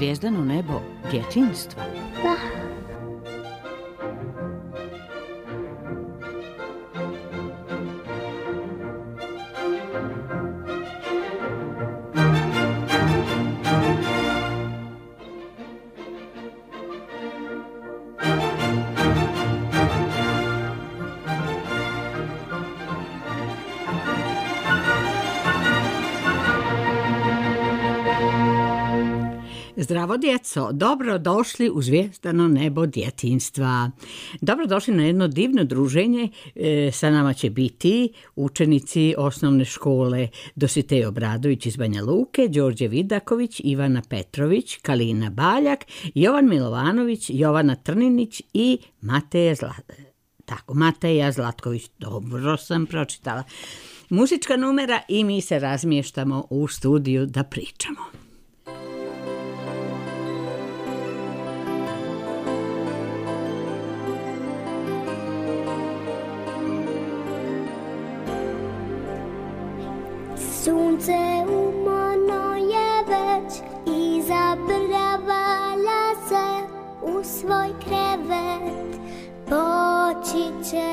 zvijezdano nebo djetinjstva. Da. Zdravo djeco, dobrodošli u zvijezdano nebo djetinjstva. Dobrodošli na jedno divno druženje. Sa nama će biti učenici osnovne škole Dositej Obradović iz Banja Luke, Đorđe Vidaković, Ivana Petrović, Kalina Baljak, Jovan Milovanović, Jovana Trninić i Mateja Zlatković. Dobro sam pročitala. Muzička numera i mi se razmještamo u studiju da pričamo. Sunce umorno je već, izabravala se u svoj krevet, poći će.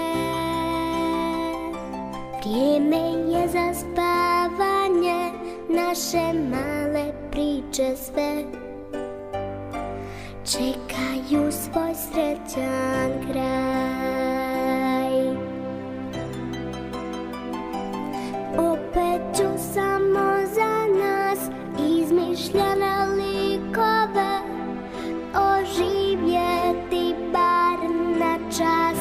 Vrijeme je za spavanje, naše male priče sve čekaju svoj srećan kraj. Opet ću samo za nas izmišljene likove oživjeti bar na čas,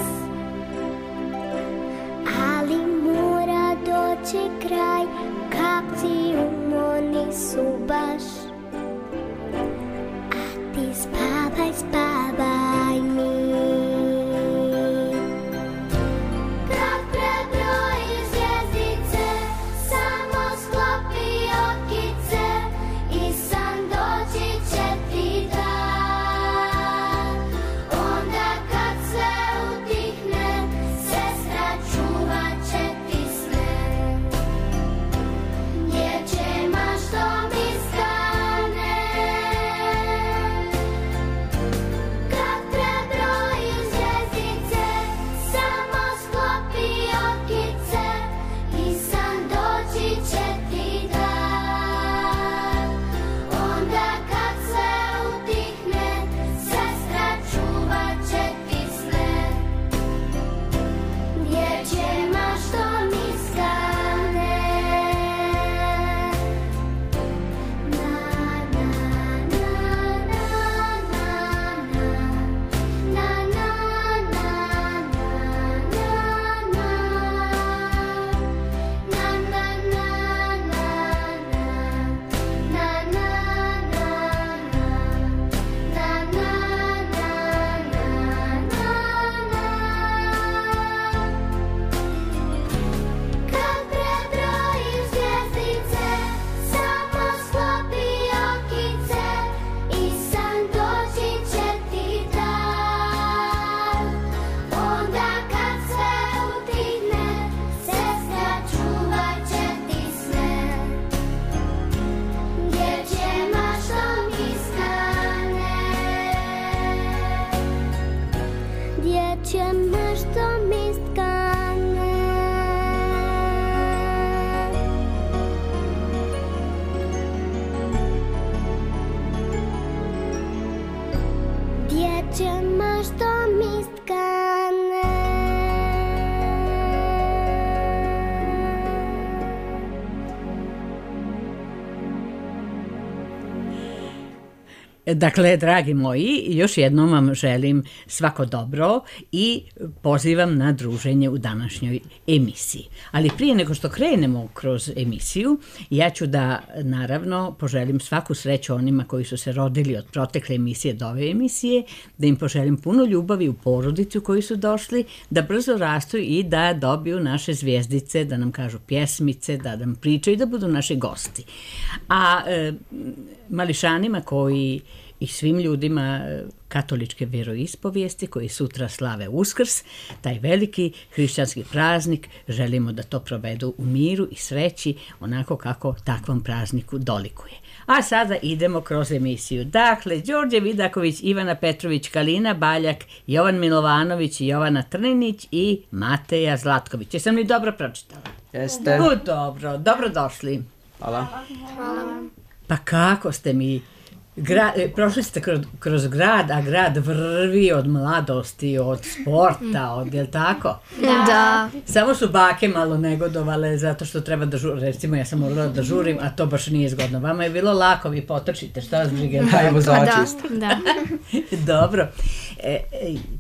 ali mora doći kraj, kapci umorni su baš, a ti spavaj, spavaj mi. Dakle, dragi moji, još jednom vam želim svako dobro i pozivam na druženje u današnjoj emisiji. Ali prije nego što krenemo kroz emisiju, ja ću da naravno poželim svaku sreću onima koji su se rodili od protekle emisije do ove emisije, da im poželim puno ljubavi u porodici u koju su došli, da brzo rastu i da dobiju naše zvijezdice, da nam kažu pjesmice, da nam pričaju i da budu naši gosti. A mališanima koji i svim ljudima katoličke vjeroispovijesti koji sutra slave Uskrs, taj veliki hrišćanski praznik, želimo da to provedu u miru i sreći, onako kako takvom prazniku dolikuje. A sada idemo kroz emisiju. Dakle, Đorđe Vidaković, Ivana Petrović, Kalina Baljak, Jovan Milovanović, Jovana Trninić i Mateja Zlatković. Jesam li dobro pročitala? Jeste. Dobro, dobrodošli. Hvala. Pa kako ste mi... prošli ste kroz grad, a grad vrvi od mladosti, od sporta, jel tako? Da. Samo su bake malo negodovale zato što treba da žurim. Recimo, ja sam morala da žurim, a to baš nije zgodno. Vama je bilo lako, vi potrčite, šta vas brige? Hajmo za očist. Da. Dobro.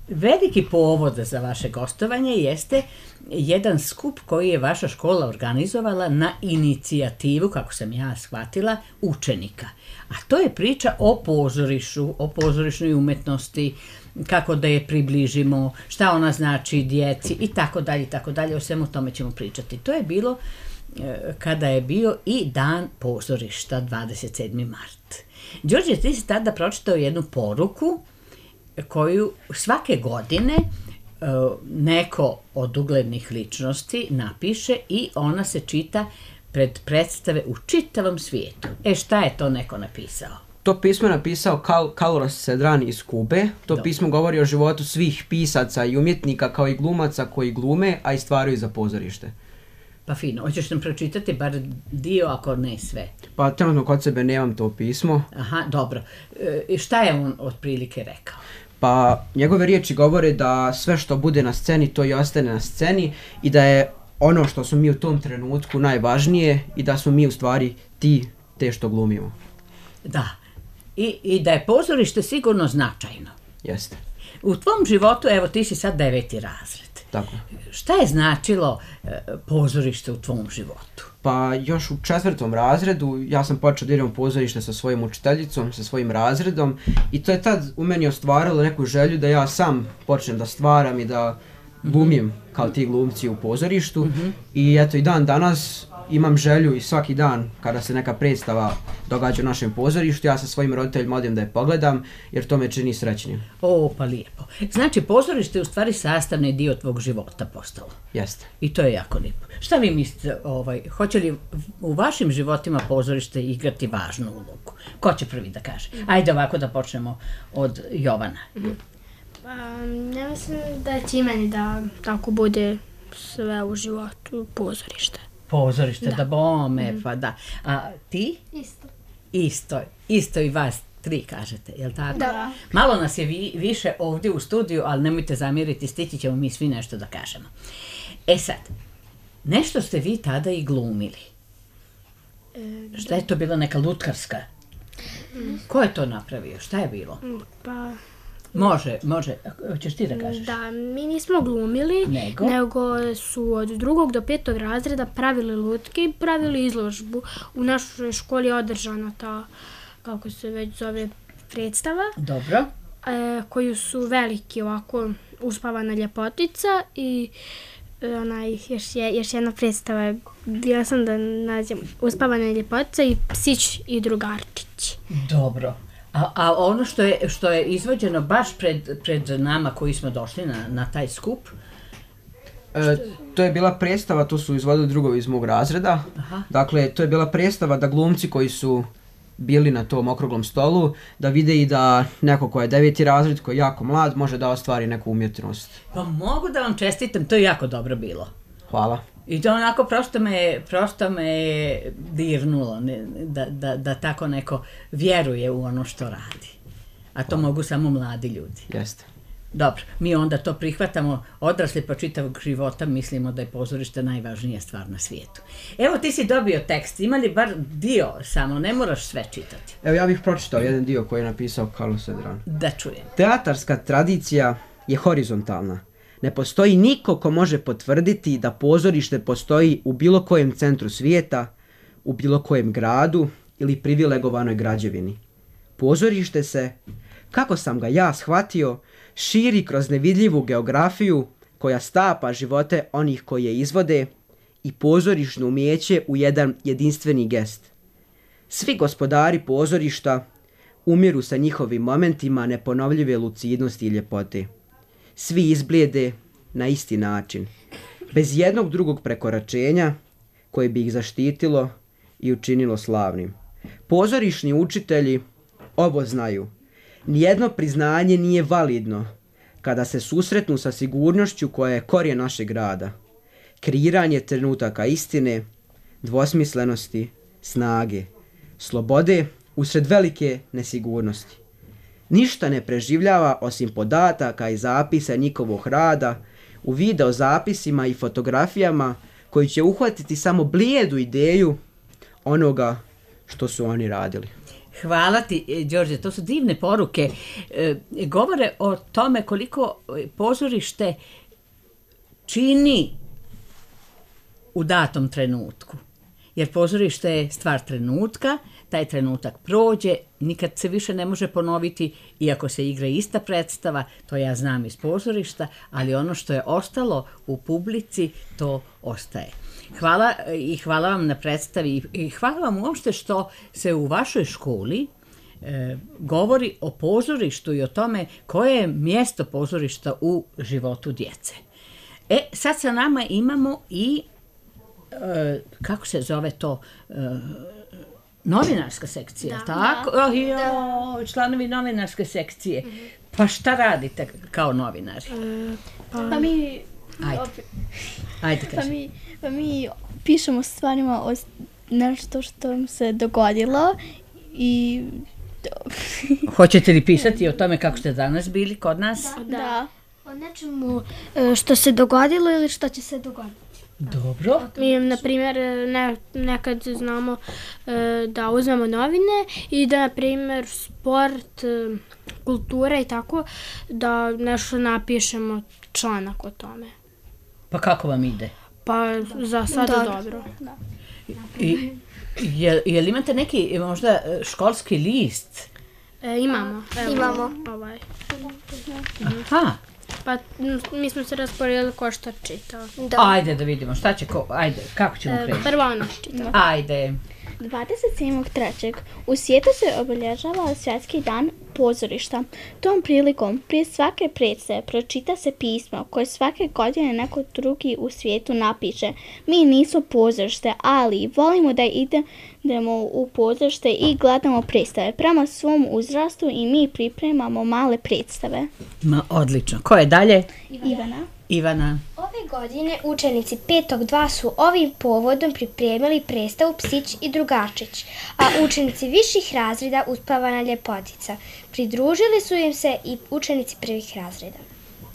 Veliki povod za vaše gostovanje jeste jedan skup koji je vaša škola organizovala na inicijativu, kako sam ja shvatila, učenika. A to je priča o pozorišu, o pozorišnoj umetnosti, kako da je približimo, šta ona znači djeci i tako dalje, o svemu tome ćemo pričati. To je bilo kada je bio i dan pozorišta, 27. mart. Đorđe, ti si tada pročitao jednu poruku koju svake godine neko od uglednih ličnosti napiše i ona se čita pred predstave u čitavom svijetu. Šta je to neko napisao? To pismo je napisao Carlos Cedran iz Kube. To pismo govori o životu svih pisaca i umjetnika kao i glumaca koji glume, a i stvaraju za pozorište. Pa fino, hoćeš nam pročitati bar dio, ako ne sve? Pa trenutno kod sebe nemam to pismo. Aha, dobro. Šta je on otprilike rekao? Pa njegove riječi govore da sve što bude na sceni, to i ostane na sceni i da je ono što smo mi u tom trenutku najvažnije i da smo mi u stvari te što glumimo. Da. I da je pozorište sigurno značajno. Jeste. U tvom životu, evo ti si sad 9. razred. Tako. Šta je značilo pozorište u tvom životu? Pa još u 4. razredu ja sam počeo da idem u pozorište sa svojim učiteljicom, sa svojim razredom i to je tad u meni ostvarilo neku želju da ja sam počnem da stvaram i da glumim kao ti glumci u pozorištu i eto i dan danas imam želju i svaki dan kada se neka predstava događa u našem pozorištu, ja sa svojim roditeljima odem da je pogledam jer to me čini srećnim. O, pa lijepo. Znači, pozorište je u stvari sastavni dio tvog života postalo. Jeste. I to je jako lijepo. Šta vi mislite, hoće li u vašim životima pozorište igrati važnu ulogu? Ko će prvi da kaže? Ajde ovako da počnemo od Jovana. Ja mislim da će i meni da tako bude sve u životu pozorište. Pozorište, da bome, pa da. A ti? Isto i vas 3 kažete, jel tako? Da. Malo nas je više ovdje u studiju, ali nemojte zamjeriti, stići ćemo mi svi nešto da kažemo. Sad, nešto ste vi tada i glumili. Šta je to bilo, neka lutkarska? Ko je to napravio? Šta je bilo? Pa... Može, hoćeš ti da kažeš? Da, mi nismo glumili, nego su od 2. do 5. razreda pravili lutke i pravili izložbu. U našoj školi je održana ta, kako se već zove, predstava. Dobro. Koju su veliki ovako Uspavana ljepotica i još jedna predstava, bila sam da nađem Uspavana ljepotica i Psić i drugarčić. Dobro. A ono što je izvođeno baš pred nama koji smo došli na taj skup? To je bila predstava, to su izvodili drugovi iz mog razreda. Aha. Dakle, to je bila predstava da glumci koji su bili na tom okruglom stolu, da vide i da neko ko je 9. razred, ko je jako mlad, može da ostvari neku umjetnost. Pa mogu da vam čestitam, to je jako dobro bilo. Hvala. I to onako prosto me dirnulo, da tako neko vjeruje u ono što radi. A to mogu samo mladi ljudi. Jeste. Dobro, mi onda to prihvatamo, odrasli po čitavog života, mislimo da je pozorište najvažnija stvar na svijetu. Evo, ti si dobio tekst, ima li bar dio samo, ne moraš sve čitati. Evo, ja bih pročitao jedan dio koji je napisao Carlos Cedran. Da čujem. Teatarska tradicija je horizontalna. Ne postoji niko ko može potvrditi da pozorište postoji u bilo kojem centru svijeta, u bilo kojem gradu ili privilegovanoj građevini. Pozorište se, kako sam ga ja shvatio, širi kroz nevidljivu geografiju koja stapa živote onih koji je izvode i pozorišno umijeće u jedan jedinstveni gest. Svi gospodari pozorišta umiru sa njihovim momentima neponovljive lucidnosti i ljepote. Svi izblijede na isti način, bez jednog drugog prekoračenja koje bi ih zaštitilo i učinilo slavnim. Pozorišni učitelji ovo znaju. Nijedno priznanje nije validno kada se susretnu sa sigurnošću koja je korijen našeg rada. Kreiranje trenutaka istine, dvosmislenosti, snage, slobode usred velike nesigurnosti. Ništa ne preživljava osim podataka i zapisa njihovog rada u video zapisima i fotografijama koji će uhvatiti samo blijedu ideju onoga što su oni radili. Hvala ti, Đorđe, to su divne poruke. Govore o tome koliko pozorište čini u datom trenutku. Jer pozorište je stvar trenutka, taj trenutak prođe, nikad se više ne može ponoviti, iako se igra ista predstava, to ja znam iz pozorišta, ali ono što je ostalo u publici, to ostaje. Hvala vam na predstavi i hvala vam uopšte što se u vašoj školi govori o pozorištu i o tome koje je mjesto pozorišta u životu djece. Sad sa nama imamo i kako se zove to, novinarska sekcija, tako? Članovi novinarske sekcije. Pa šta radite kao novinari? Pa mi... Ajde kaži. Pa mi pišemo stvarima o nešto što se dogodilo i... Hoćete li pisati o tome kako ste danas bili kod nas? Da. O nečemu što se dogodilo ili što će se dogoditi. Dobro. Mi, na primjer, nekad znamo da uzmemo novine i da, na primjer, sport, kultura i tako, da nešto napišemo članak o tome. Pa kako vam ide? Pa za sada dobro. Da. Jel imate neki možda školski list? Imamo. Imamo. Aha. Pa mi smo se rasporedili ko što čita. Ajde da vidimo šta će ajde, kako ćemo kreći? Prvo ona čita. Ajde. 27.3. u svijetu se obilježava Svjetski dan pozorišta. Tom prilikom prije svake predstave pročita se pismo koje svake godine neko drugi u svijetu napiše. Mi nismo pozorište, ali volimo da idemo u pozorište i gledamo predstave. Prema svom uzrastu i mi pripremamo male predstave. Odlično. Ko je dalje? Ivana. Ove godine učenici 5.2 su ovim povodom pripremili predstavu Psić i Drugačić, a učenici viših razreda Uspavana ljepotica. Pridružili su im se i učenici prvih razreda.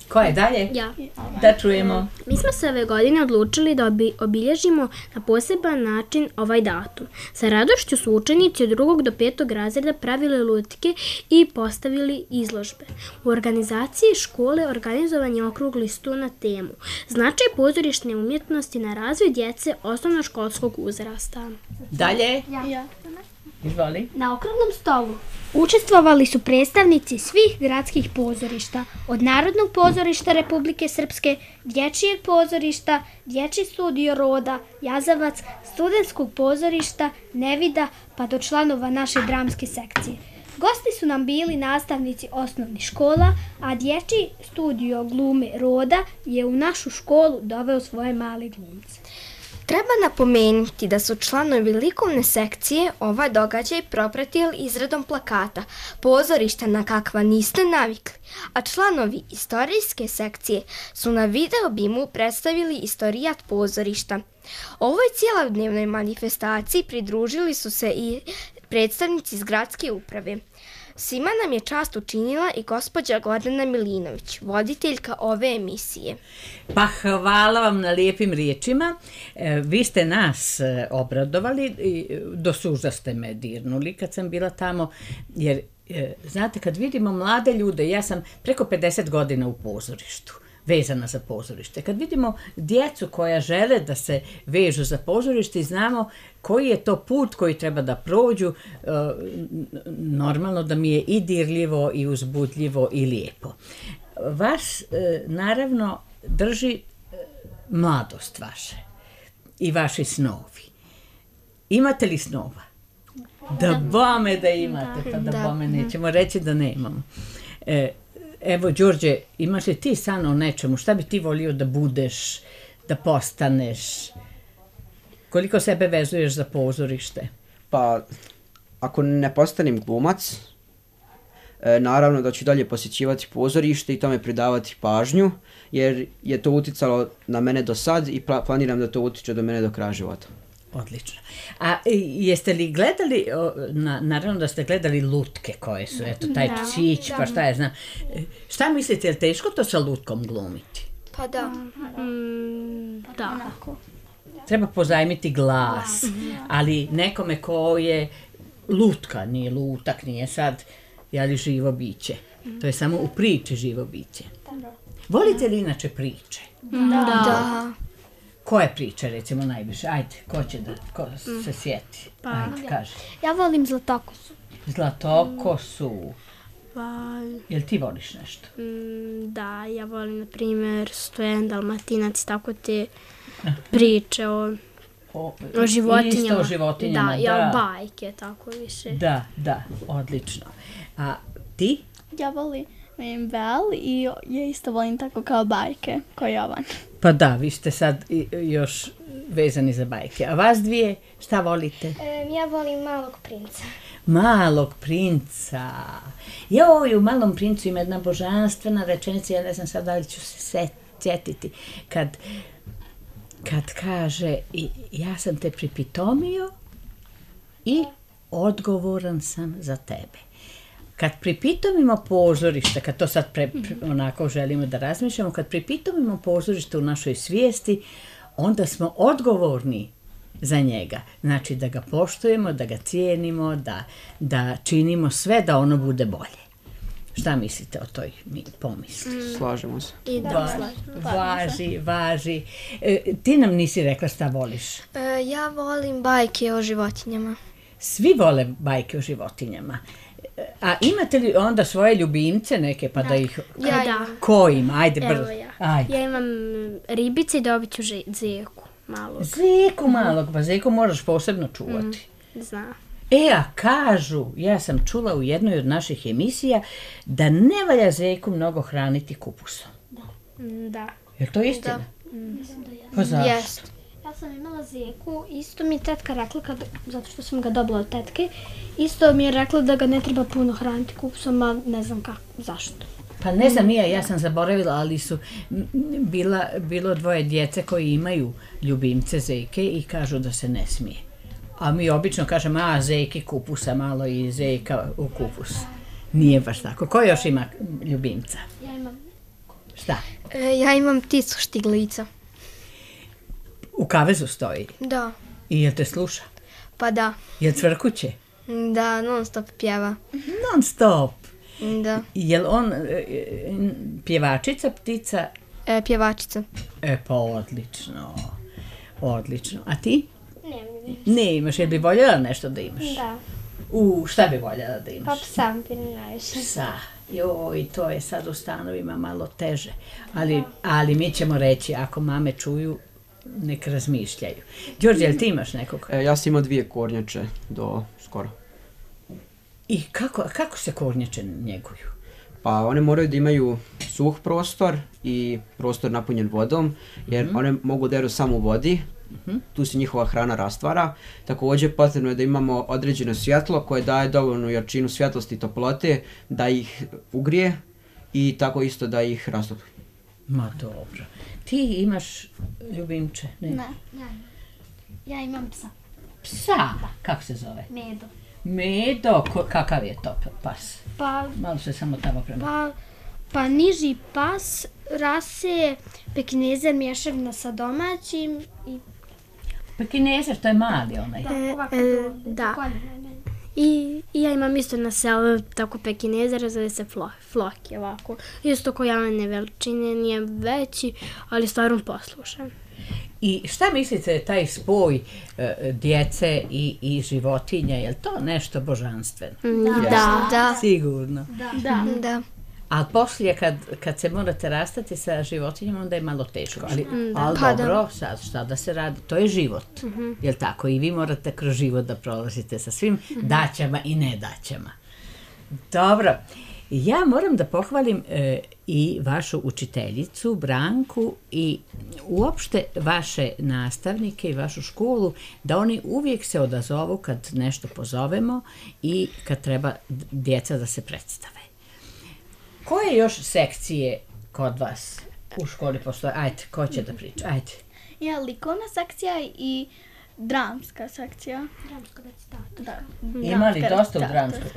Ko je dalje? Ja. Da čujemo. Mi smo se ove godine odlučili da obilježimo na poseban način ovaj datum. Sa radošću su učenici od 2. do 5. razreda pravili lutke i postavili izložbe. U organizaciji škole organizovan je okrugli sto na temu Značaj pozorišne umjetnosti na razvoj djece osnovnoškolskog uzrasta. Dalje? Ja. Izvoli. Na okruglom stolu učestvovali su predstavnici svih gradskih pozorišta, od Narodnog pozorišta Republike Srpske, Dječjeg pozorišta, Dječji studio Roda, Jazavac, Studentskog pozorišta, Nevida, pa do članova naše dramske sekcije. Gosti su nam bili nastavnici osnovnih škola, a Dječji studio glume Roda je u našu školu doveo svoje male glumce. Treba napomenuti da su članovi likovne sekcije ovaj događaj propratili izradom plakata pozorišta na kakva niste navikli, a članovi istorijske sekcije su na video bimu predstavili istorijat pozorišta. Ovoj cijelodnevnoj manifestaciji pridružili su se i predstavnici iz gradske uprave. Svima nam je čast učinila i gospođa Gordana Milinović, voditeljka ove emisije. Pa hvala vam na lijepim riječima. Vi ste nas obradovali, do suza ste me dirnuli kad sam bila tamo, jer znate, kad vidimo mlade ljude, ja sam preko 50 godina u pozorištu, vezana za pozorište. Kad vidimo djecu koja žele da se vežu za pozorište i znamo koji je to put koji treba da prođu, normalno da mi je i dirljivo i uzbudljivo i lijepo. Vas naravno drži mladost vaše i vaši snovi. Imate li snova? Da bome da imate, pa da bome nećemo reći da nemamo. Evo, Đorđe, imaš li ti san o nečemu? Šta bi ti volio da budeš, da postaneš? Koliko sebe vezuješ za pozorište? Pa, ako ne postanem glumac, naravno da ću dalje posjećivati pozorište i tome pridavati pažnju, jer je to uticalo na mene do sad i planiram da to utiče do mene do kraja života. Odlično. A jeste li gledali, naravno da ste gledali lutke koje su, eto, taj psić, pa šta je znam. Šta mislite, je li teško to sa lutkom glumiti? Pa da. Da. Treba pozajmiti glas, ali nekome ko je lutka, nije lutak, nije sad, jeli, živo biće. To je samo u priči živo biće. Volite li inače priče? Da. Koje priče, recimo, najviše? Ajde, ko se sjeti? Ajde, kaži. Ja volim Zlatokosu. Zlatokosu. Pa, Jel ti voliš nešto? da, ja volim, na primjer, Stojan Dalmatinac, tako te priče o životinjama. Isto o životinjama, da. Ja, bajke, tako više. Da, odlično. A ti? Ja volim Bel i ja isto volim tako kao bajke, kao Jovan. Pa da, vi ste sad još vezani za bajke. A vas dvije, šta volite? Ja volim Malog princa. Malog princa. Joj, u Malom princu ima jedna božanstvena rečenica, ja ne znam sad da li ću se sjetiti, kad kaže ja sam te pripitomio i odgovoran sam za tebe. Kad pripitomimo pozorište, kad to sad onako želimo da razmišljamo, kad pripitomimo pozorište u našoj svijesti, onda smo odgovorni za njega. Znači da ga poštujemo, da ga cijenimo, da činimo sve da ono bude bolje. Šta mislite o toj pomisli? Slažemo se. I da, Važi. Ti nam nisi rekla šta voliš. Ja volim bajke o životinjama. Svi vole bajke o životinjama. A imate li onda svoje ljubimce neke, pa da ih... Ja, da. Ko ima? Ajde, brzo. Evo ja. Ajde. Ja imam ribice i dobit ću zeku malog. Zeku malog, pa zeku moraš posebno čuvati. Zna. A kažu, ja sam čula u jednoj od naših emisija, da ne valja zeku mnogo hraniti kupusom. Da. Je li to istina? Mislim da ja. Pa zašto? Jest. Ja sam imala zeku, isto mi je tetka rekla, zato što sam ga dobila od tetke, isto mi je rekla da ga ne treba puno hraniti kupusom, a ne znam kako, zašto. Pa ne znam, ja sam zaboravila, ali su bilo dvoje djece koji imaju ljubimce zeke i kažu da se ne smije. A mi obično kažemo, zeki kupusa malo i zeka u kupus. Nije baš tako. Ko još ima ljubimca? Ja imam. Šta? Ja imam pticu štiglica. U kavezu stoji. Da. I jel te sluša? Pa da. Jel cvrkuće? Da, non stop pjeva. Non stop. Da. Jel on pjevačica, ptica? Pjevačica. Pa odlično. Odlično. A ti? Nemam. Ne imaš, jel bi voljela nešto da imaš? Da. Šta bi voljela da imaš? Pa psa bi najviše. Psa. Joj, to je sad u stanovima malo teže. Ali mi ćemo reći, ako mame čuju, nek razmišljaju. Đorđe, jel ti imaš nekog? Ja sam imao 2 kornjače do skoro. I kako se kornjače njeguju? Pa one moraju da imaju suh prostor i prostor napunjen vodom, jer one mogu da jedu samo u vodi, tu se njihova hrana rastvara. Također potrebno je da imamo određeno svjetlo koje daje dovoljnu jačinu svjetlosti i toplote da ih ugrije i tako isto da ih rastopi. Ma dobro. Ti imaš ljubimče? Ne. Ja imam psa. Psa? Kako se zove? Medo. Medo? Kakav je to pas? Pa, Malo se samo tamo prema... pa niži pas, rase pekinezer mješavina sa domaćim i... Pekinezer, to je mali onaj. Da. I ja imam isto na selu tako pekinezer, zove se Floki, ovako. Isto ko javne veličine, nije veći, ali stvarno poslušan. I šta mislite taj spoj djece i životinja, je li to nešto božanstveno? Da. Sigurno. Da. Ali poslije kad se morate rastati sa životinjama, onda je malo teško. Ali Pa dobro, sad šta da se radi, to je život. Jel tako? I vi morate kroz život da prolazite sa svim daćama i nedaćama. Dobro. Ja moram da pohvalim i vašu učiteljicu, Branku, i uopšte vaše nastavnike i vašu školu, da oni uvijek se odazovu kad nešto pozovemo i kad treba djeca da se predstave. Koje još sekcije kod vas u školi postoje? Ajde, ko će da priča? Ajde. Ja, likovna sekcija i dramska sekcija. Dramsko recitator. Da. Ima li dosta u dramskoj?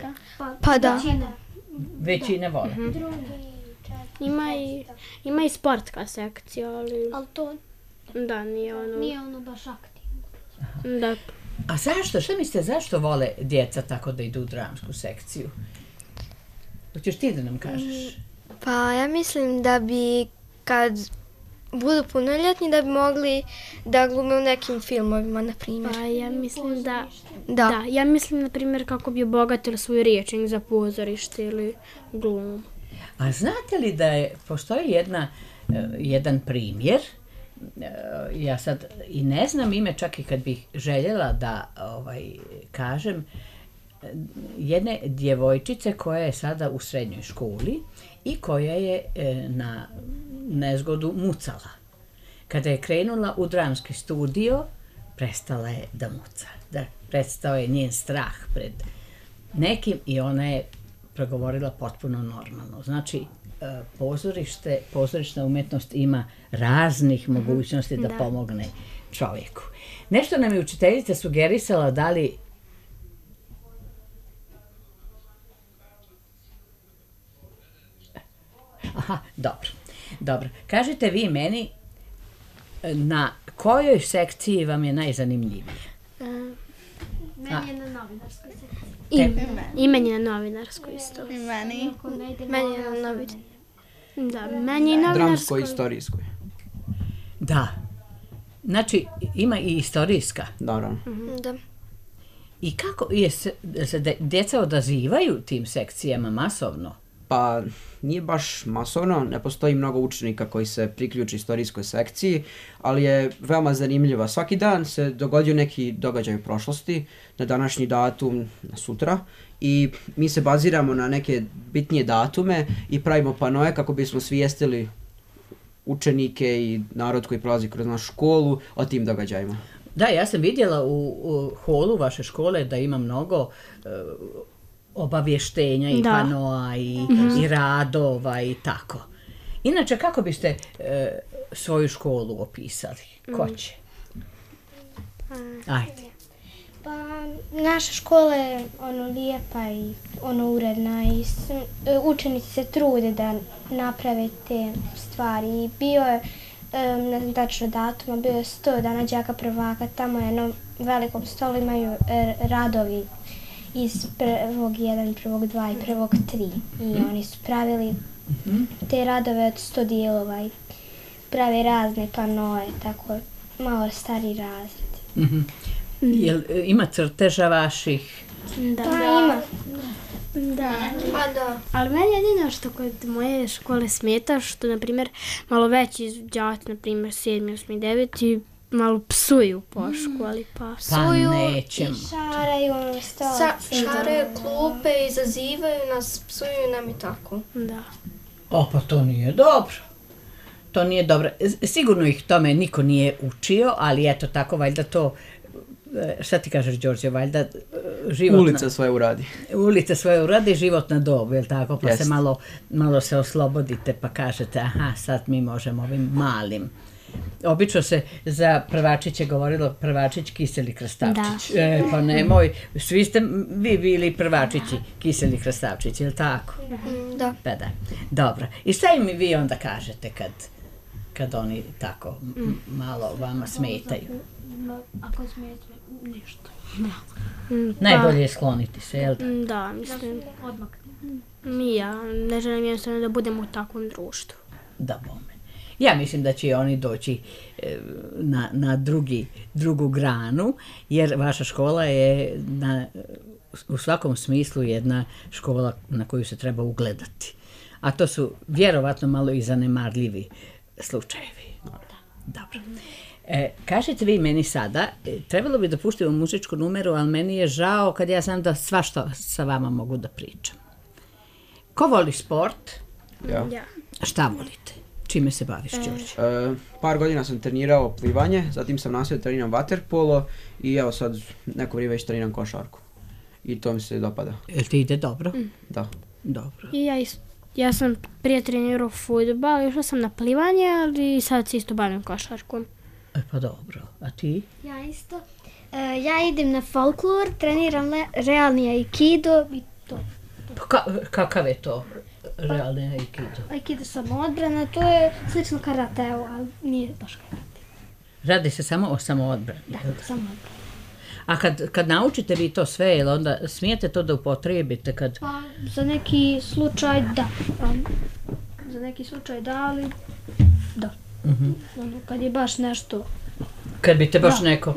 Pa da. Većine vole. Ima i sportska sekcija, ali Ali to da, nije ono baš aktivno. da. A zašto? Šta mislite, zašto vole djeca tako da idu u dramsku sekciju? Hoćeš ti da nam kažeš? Pa ja mislim da bi kad budu punoljetni da bi mogli da glume u nekim filmovima, na primjer. Pa ja mislim da Da. ja mislim na primjer kako bi obogatili svoj rječnik za pozorište ili glumu. A znate li da postoji jedan primjer, ja sad i ne znam ime, čak i kad bih željela da kažem, jedne djevojčice koja je sada u srednjoj školi i koja je na nezgodu mucala. Kada je krenula u dramski studio, prestala je da muca. Da, prestao je njen strah pred nekim i ona je progovorila potpuno normalno. Znači, pozorišna umjetnost ima raznih mogućnosti da pomogne čovjeku. Nešto nam je učiteljica sugerisala da li Aha, dobro. Kažite vi meni na kojoj sekciji vam je najzanimljivije? Meni je na novinarskoj sekciji. I meni je na novinarskoj isto. I meni. Meni je na novinarskoj. Da, meni je novinarskoj. Dramskoj i istorijskoj. Da. Znači, ima i istorijska. Naravno. Da. I kako se djeca odazivaju tim sekcijama masovno? Pa nije baš masovno, ne postoji mnogo učenika koji se priključi istorijskoj sekciji, ali je veoma zanimljiva. Svaki dan se dogodio neki događaj u prošlosti, na današnji datum, na sutra, i mi se baziramo na neke bitnije datume i pravimo panoje kako bismo svijestili učenike i narod koji prolazi kroz našu školu o tim događajima. Da, ja sam vidjela u holu vaše škole da ima mnogo obavještenja i panoa i radova i tako. Inače, kako biste svoju školu opisali? Ko će? Ajde. Pa, naša škola je lijepa i uredna i učenici se trude da naprave te stvari. I bio je, ne znam tačno datuma, bio je 100 dana đaka prvaka, tamo je na velikom stolu imaju radovi iz prvog 1, prvog 2 i prvog 3. I oni su pravili te radove od 100 dijelova i pravi razne panoje, tako malo stari razred. Jel ima crteža vaših? Da. Pa ima. Pa da. Ali meni jedino što kod moje škole smeta, što, na primjer, malo veći đaci, na primjer, 7, 8, 9, malo psuju po školi, pa Pa nećemo. Šaraju stolice. Šaraju klupe, izazivaju nas, psuju nam i tako. da. O, pa to nije dobro. To nije dobro. Sigurno ih tome niko nije učio, ali eto tako, valjda to, šta ti kažeš, Đorđe, valjda životna... Ulica svoje uradi. Ulica svoje uradi, životna dob, je li tako? Pa Jest. se malo se oslobodite pa kažete, aha, sad mi možemo ovim malim. Obično se za prvačiće govorilo prvačić, kiseli krastavčić. Pa nemoj, svi ste vi bili prvačići, kiseli krastavčić, je li tako? Da. Pa da, dobro. I šta im vi onda kažete kad oni tako malo vama smetaju? Ako smijete, ništa. Najbolje je skloniti se, jel da? Da, mislim, Odmah. ja ne želim jednostavno da budemo u takvom društvu. Da, bome. Ja mislim da će oni doći na drugu granu, jer vaša škola je u svakom smislu jedna škola na koju se treba ugledati. a to su vjerovatno malo i zanemarljivi slučajevi. Dobro. Kažete vi meni sada, trebalo bi da puštimo muzičku numeru, ali meni je žao kad ja znam da svašta sa vama mogu da pričam. Ko voli sport? Ja. Šta volite? Čime se baviš, Đorđe? Par godina sam trenirao plivanje, zatim sam nastavio treniram vaterpolo i evo sad neko vrijeme već treniram košarku. I to mi se dopada. Jel ti ide dobro? Da. Dobro. I ja sam prije trenirao fudbal, išla sam na plivanje, ali sad se isto bavim košarkom. Pa dobro, a ti? Ja isto. Ja idem na folklor, treniram realni aikido i to. Pa kakav je to realni aikido? Aikido samoodbrana, to je slično karateu, ali nije baš karate. Radi se samo o samoodbrani. Da, samoodbrana. A kad naučite vi to sve, jel onda smijete to da upotrijebite kad... Pa za neki slučaj da. Za neki slučaj da, ali da. Ono, kad je baš nešto... Kad bi te baš neko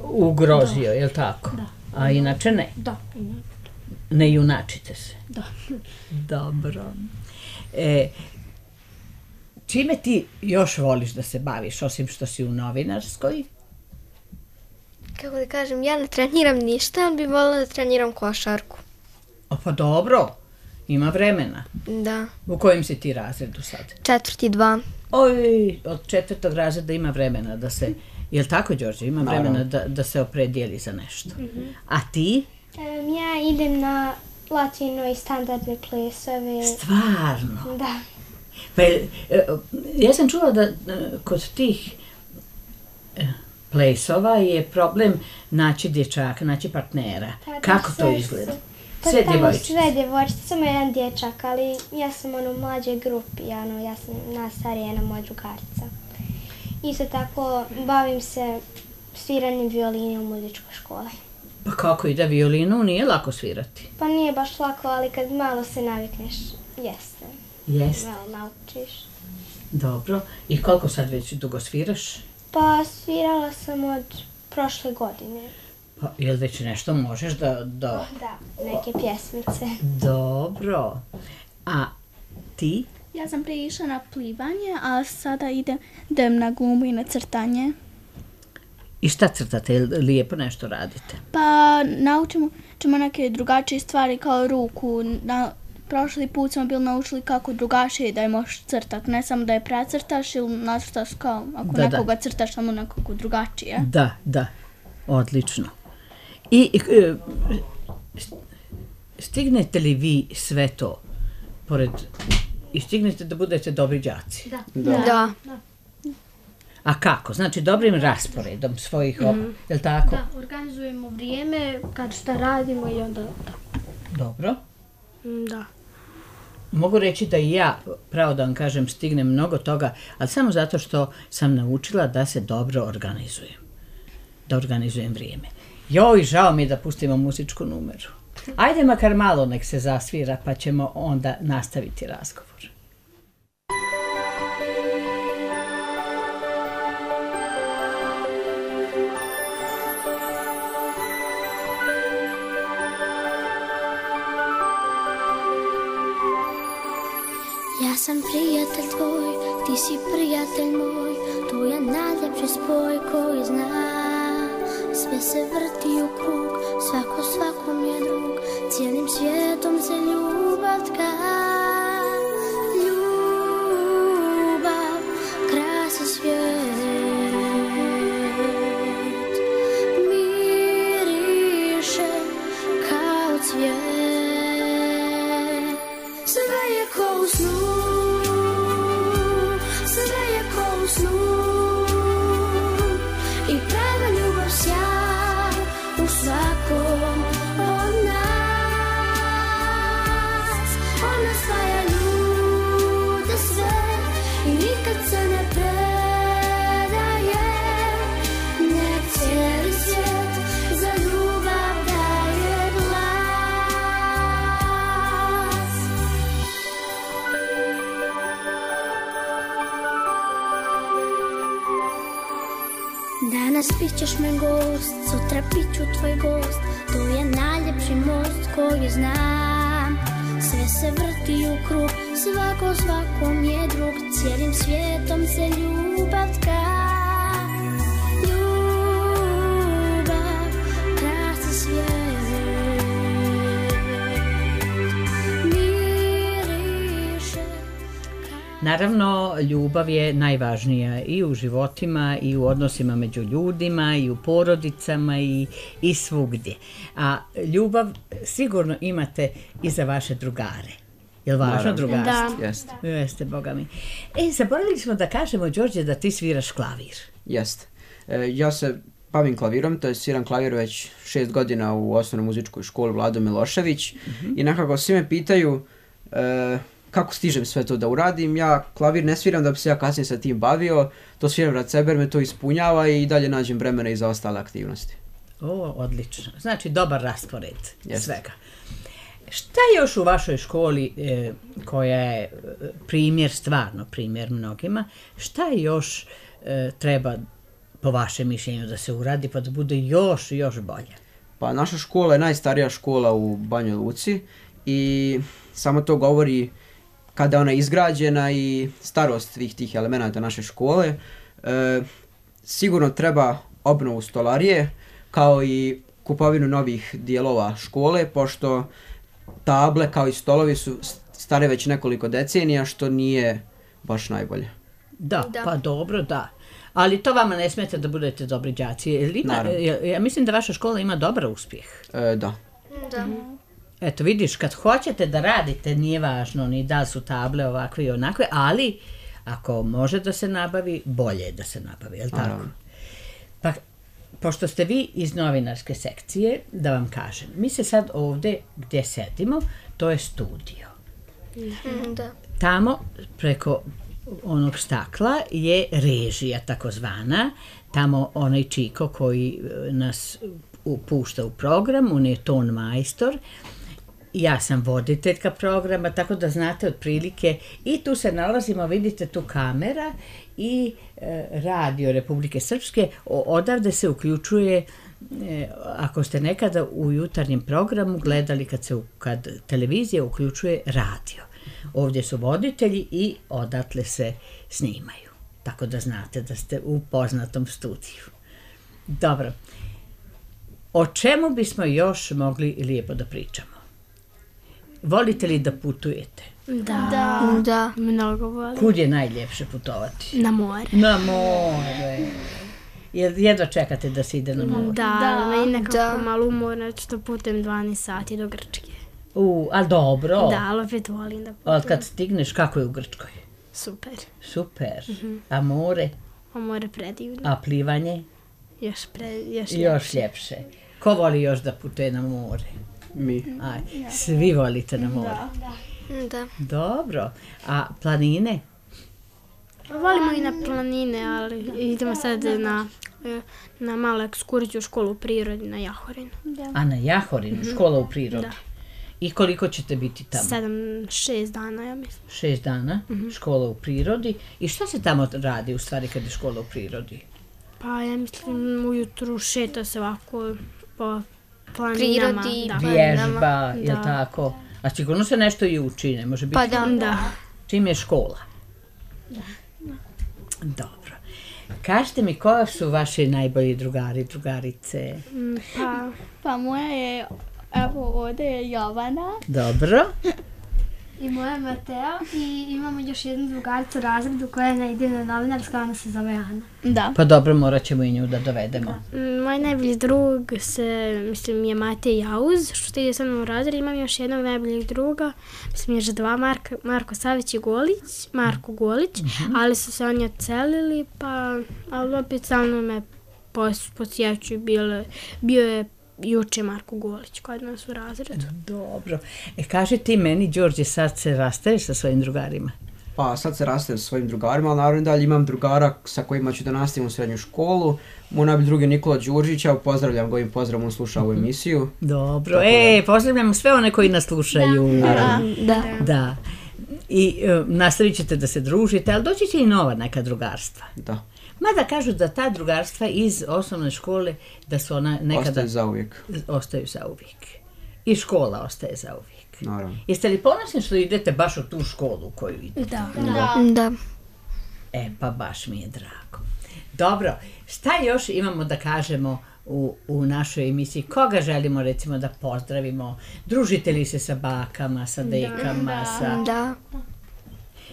ugrozio, Da. jel tako? Da. A inače ne? Da. Ne junačite se? Da. Dobro. Čime ti još voliš da se baviš, osim što si u novinarskoj? Kako da kažem, ja ne treniram ništa, ali bi voljela da treniram košarku. Pa dobro, ima vremena. Da. U kojem si ti razredu sad? 4. 2. Oj, od 4. razreda ima vremena da se... Jel tako, Đorđe? Ima vremena da se opredijeli za nešto. A ti? Ja idem na latino i standardne plesove. Stvarno? Da. Pa, ja sam čula da kod tih plesova je problem naći dječaka, naći partnera. Kako to izgleda? Sve djevojčice? Sve djevojčice, samo jedan dječak, ali ja sam u mlađoj grupi, ja sam najstarija jedna moja drugarica. Isto tako bavim se sviranjem violine u muzičkoj školi. Pa kako ide violinu? Nije lako svirati. Pa nije baš lako, ali kad malo se navikneš, jeste. Jeste. Malo naučiš. Dobro. I koliko sad već dugo sviraš? Pa svirala sam od prošle godine. Pa jel već nešto možeš da... Da, neke pjesmice. Dobro. A ti? Ja sam prije išla na plivanje, a sada idem na glumu i na crtanje. I šta crtate? Jel lijepo nešto radite? Pa naučimo neke drugačije stvari kao ruku. Prošli put smo bili naučili kako drugačije da je možeš crtati. Ne samo da je precrtaš ili nacrtaš kao ako nekoga crtaš samo nekako drugačije. Da. Odlično. I stignete li vi sve to pored... I stignete da budete dobri đaci? Da. A kako? Znači dobrim rasporedom svojih jel tako? Da, organizujemo vrijeme kad šta radimo i onda Dobro. Da. Mogu reći da i ja, pravo da vam kažem, stignem mnogo toga, ali samo zato što sam naučila da se dobro organizujem. Da organizujem vrijeme. Joj, žao mi je da pustimo muzičku numeru. Ajde makar malo nek se zasvira pa ćemo onda nastaviti razgovor. Ja sam prijatelj tvoj, ti si prijatelj moj, to je najljepši spoj koji zna. Sve se vrti u krug, svako svakom je drug, cijelim svijetom se ljubav tka. Ljubav krasi svijet, miriše kao cvijet. Sve je ko u snu, sve je ko u snu, i prava ljubav sjaj u svakom od nas. Ona spaja ljude sve i nikad se ne predaje. Nek cijeli svijet za ljubav daje glas. Danas bit ćeš me gost, sutra bit ću tvoj gost, to je najljepši most koji znam. sve se vrti u krug, svako svakom je drug, cijelim svijetom se ljubav tka. Ljubav krasi svijet, miriše. Naravno, ljubav je najvažnija i u životima i u odnosima među ljudima i u porodicama i svugdje. A ljubav sigurno imate i za vaše drugare. Je li važno drugarstvo? Da. Jeste. Jeste, boga mi. Zaboravili smo da kažemo, Đorđe, da ti sviraš klavir. Jeste. Ja se bavim klavirom, to je sviram klavir već 6 godina u osnovnoj muzičkoj školi Vlado Milošević i nekako svi me pitaju kako stižem sve to da uradim. Ja klavir ne sviram da bi se ja kasnije sa tim bavio, to sviram rad sebe jer me to ispunjava i dalje nađem vremena i za ostale aktivnosti. Odlično. Znači, dobar raspored svega. Šta još u vašoj školi, koja je primjer, stvarno primjer mnogima, šta još treba po vašem mišljenju da se uradi pa da bude još bolje? Pa naša škola je najstarija škola u Banjoj Luci i samo to govori kada je ona izgrađena i starost svih tih elemenata naše škole. Sigurno treba obnovu stolarije kao i kupovinu novih dijelova škole, pošto table kao i stolovi su stare već nekoliko decenija, što nije baš najbolje. Da, pa dobro, da. Ali to vama ne smeta da budete dobri đaci. Ja mislim da vaša škola ima dobar uspjeh. Da. Eto, vidiš, kad hoćete da radite, nije važno ni da su table ovakve i onakve, ali ako može da se nabavi, bolje je da se nabavi, je li tako? Pa, pošto ste vi iz novinarske sekcije, da vam kažem, mi se sad ovdje gdje sedimo, to je studio. Da. Tamo, preko onog stakla, je režija takozvana, tamo onaj Čiko koji nas pušta u program, on je ton majstor, ja sam voditeljka programa, tako da znate otprilike, i tu se nalazimo, vidite tu kamera i radio Republike Srpske, odavde se uključuje, ako ste nekada u jutarnjem programu gledali kad televizija uključuje radio. Ovdje su voditelji i odatle se snimaju, tako da znate da ste u poznatom studiju. Dobro, o čemu bismo još mogli lijepo da pričamo? Volite li da putujete? Da. Mnogo volim. Kud je najljepše putovati? Na more. Na more. Jedva čekate da se ide na more? Da, meni nekako malo umorno što putujem 12 sati do Grčke. Ali dobro. Da, ali opet volim da putujem. Ali kad stigneš, kako je u Grčkoj? Super. Super. A more? A more predivno. A plivanje? Još ljepše. Ko voli još da putuje na more? Mi. Svi volite na more? Da. Dobro. A planine? Volimo i na planine, ali idemo sad na malu ekskurziju u školu u prirodi na Jahorinu. A na Jahorinu, škola u prirodi? Da. I koliko ćete biti tamo? 6 dana, ja mislim. 6 dana, škola u prirodi. I šta se tamo radi u stvari kad je škola u prirodi? Pa ja mislim ujutru šeta se ovako po planinama. Prirodi, vježba, je tako? A sigurno se nešto i uči, ne može biti? Pa da. Čim je škola? Dobro. Kažite mi, koja su vaši najbolji drugari, drugarice? Pa moja je, evo ovdje je Jovana. Dobro. I moja Mateo i imamo još jednu drugaricu u razredu koja ne ide na novinarska, ona se zove Ana. Da. Pa dobro, morat ćemo i nju da dovedemo. Moj najbolji drug je Matej Jauz, što ide sa mnom u razred. Imam još jednog najboljeg druga, mislim još dva, Marko Savić i Marko Golić, ali su se oni odselili, ali opet sa mnom me posjećuju, bio je juče Marko Golić kod nas u razredu. Dobro. Kaži ti meni, Đorđe, sad se rastaješ sa svojim drugarima? Pa sad se rastajem sa svojim drugarima, ali naravno dalje imam drugara sa kojima ću da nastavim u srednju školu. Moj najbolji drug je Nikola Đurđić, pozdravljam ga, ovim pozdravom, on sluša ovu emisiju. Dobro, pozdravljam sve one koji nas slušaju. Da. I nastavit ćete da se družite, ali doći će i nova neka drugarstva. Da. Mada kažu da ta drugarstva iz osnovne škole, da su ona nekada... Ostaju zauvijek. Ostaju zauvijek. I škola ostaje zauvijek. Naravno. Jeste li ponosni što idete baš u tu školu u koju idete? Da. Pa baš mi je drago. Dobro, šta još imamo da kažemo u našoj emisiji? Koga želimo recimo da pozdravimo? Družite li se sa bakama, sa dekama? Da.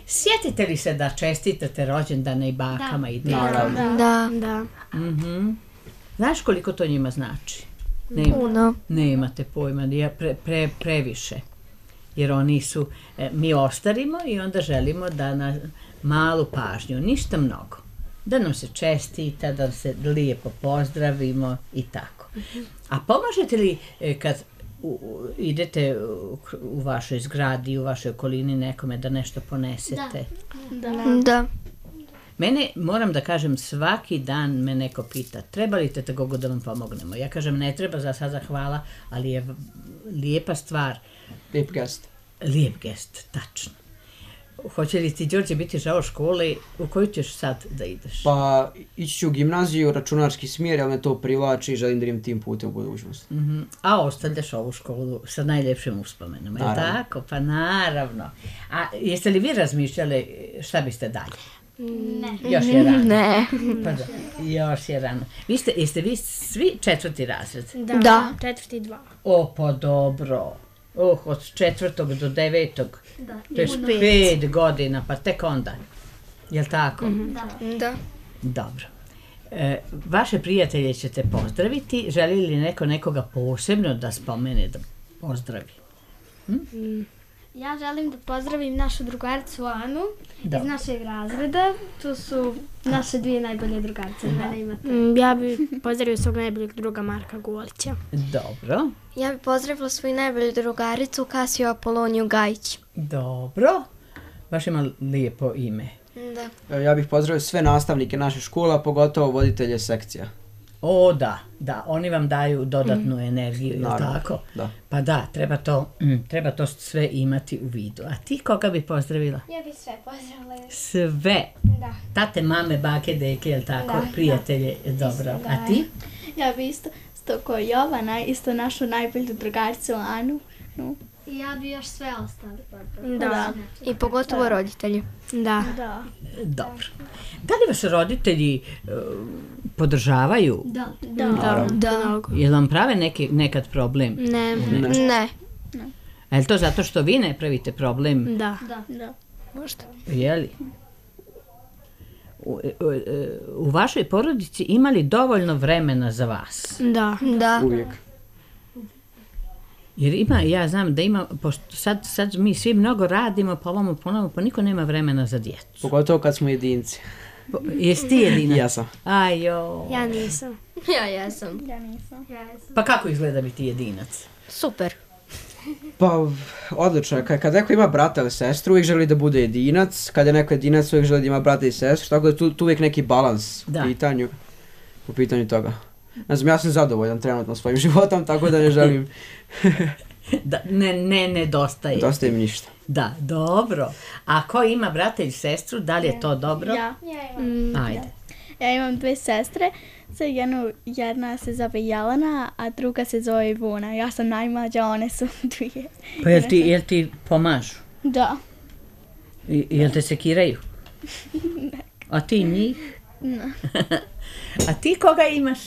Sjetite li se da čestitate rođendane i bakama i dekama? Da. Znaš koliko to njima znači? Puno. Nemate pojma, previše. Jer oni su, mi ostarimo i onda želimo da na malu pažnju, ništa mnogo. Da nam se čestita, da se lijepo pozdravimo i tako. A pomažete li kad idete u vašoj zgradi, u vašoj okolini nekome da nešto ponesete? Da. Mene, moram da kažem, svaki dan me neko pita, treba li te tako da vam pomognemo? Ja kažem, ne treba za sada, hvala, ali je lijepa stvar. Lijep gest. Lijep gest, tačno. Hoće li ti, Đorđe, biti žao škole? U koju ćeš sad da ideš? Pa ići ću u gimnaziju, računarski smjer, ali me to privlači i želim da idem tim putem u budućnosti. A ostavljaš ovu školu sa najljepšim uspomenama, je li tako? Pa naravno. A jeste li vi razmišljali šta biste dalje? Ne. Još je rano. Ne. Pa da, još je rano. Jeste vi svi 4. razred? Da. 4. 2. Pa dobro. Od 4. do 9. To je 5 godina, pa tek onda. Jel' tako? Da. Dobro. Vaše prijatelje ćete pozdraviti. Želi li neko nekoga posebno da spomene, da pozdravi? Ja želim da pozdravim našu drugaricu Anu iz našeg razreda. Tu su naše 2 najbolje drugarice. Ja bih pozdravio svog najboljeg druga Marka Golića. Dobro. Ja bih pozdravila svoju najbolju drugaricu Kasiju Apoloniju Gajić. Dobro. Baš ima lijepo ime. Da. Ja bih pozdravio sve nastavnike naše škola, pogotovo voditelje sekcija. O, da, oni vam daju dodatnu energiju, je li tako? Da. Pa da, treba to sve imati u vidu. A ti koga bi pozdravila? Ja bih sve pozdravila. Sve? Da. Tate, mame, bake, deke, je li tako? Prijatelje, dobro. A ti? Ja bih isto ko Jovana, isto našu najbolju drugaricu Anu. I ja bih još sve ostali pozdravila. Da. I pogotovo roditelji. Da. Dobro. Da li vas roditelji podržavaju? Da. Jel vam prave nekad problem? Ne. A je li to zato što vi ne pravite problem? Da. Možda. Je li? U vašoj porodici ima li dovoljno vremena za vas? Da. Uvijek. Jer ja znam da ima, pošto sad mi svi mnogo radimo, pa ovamo ponovno, pa niko nema vremena za djecu. Pogotovo kad smo jedinci. Jesi ti jedinac? Ja sam. Ajo. Ja nisam. Ja jesam. Pa kako izgleda biti jedinac? Super. Pa, odlično je. Kad neko ima brata ili sestru, uvijek želi da bude jedinac. Kad je neko jedinac, uvijek želi da ima brata i sestru. Tako da tu uvijek neki balans u pitanju toga. Ne znam, ja sam zadovoljan trenutno svojim životom, tako da ne želim... Ne nedostaje. Nedostaje mi ništa. Da, dobro. A ko ima brata ili sestru, da li je to dobro? Ja. Ajde. Ja imam 2 sestre. Jedna se zove Jelena, a druga se zove Ivona. Ja sam najmlađa, one su 2. Pa jel ti pomažu? Da. Jel te sekiraju? A ti njih? Ne. A ti koga imaš?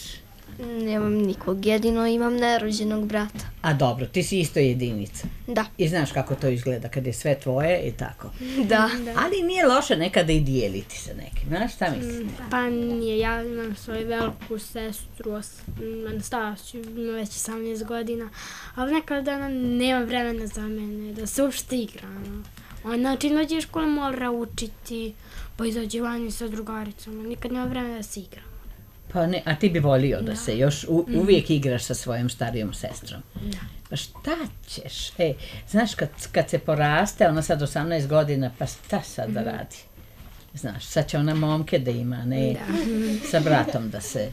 Nemam nikog, jedino imam nerođenog brata. A dobro, ti si isto jedinica. Da. I znaš kako to izgleda kad je sve tvoje i tako. Da. Ali nije loše nekada i dijeliti se nekim, znaš šta mislim? Pa nije, ja imam svoju veliku sestru, Anastasiju, ima već 18 godina, ali nekada ona nema vremena za mene, da se uopšte igra. Ona čim dođe u školu mora učiti, pa izađe vani sa drugaricama, nikad nema vremena da se igra. Pa ne, a ti bi volio da se još uvijek igraš sa svojom starijom sestrom. Pa šta ćeš? Znaš, kad se poraste, ona sad 18 godina, pa šta sad da radi? Znaš, sad će ona momke da ima, ne sa bratom da se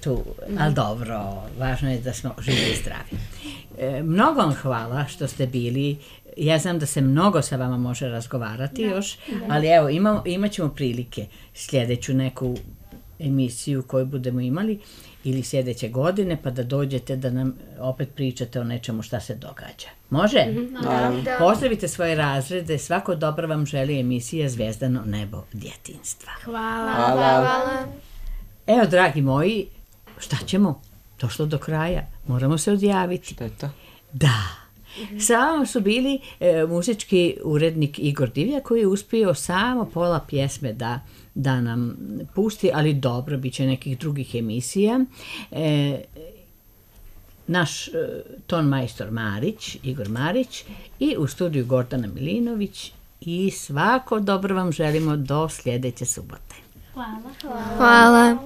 tu, ali dobro, važno je da smo živi i zdravi. Mnogo vam hvala što ste bili. Ja znam da se mnogo sa vama može razgovarati još, ali evo, imat ćemo prilike sljedeću neku emisiju koju budemo imali ili sljedeće godine, pa da dođete da nam opet pričate o nečemu šta se događa. Može? Da. Pozdravite svoje razrede, svako dobro vam želi emisija Zvijezdano nebo djetinjstva. Hvala. Evo, dragi moji, šta ćemo? Došlo do kraja, moramo se odjaviti. Šteta. Da. Sa vama su bili muzički urednik Igor Divjak koji je uspio samo pola pjesme da nam pusti, ali dobro, bit će nekih drugih emisija. Naš ton majstor Marić, Igor Marić, i u studiju Gordana Milinović, i svako dobro vam želimo do sljedeće subote. Hvala.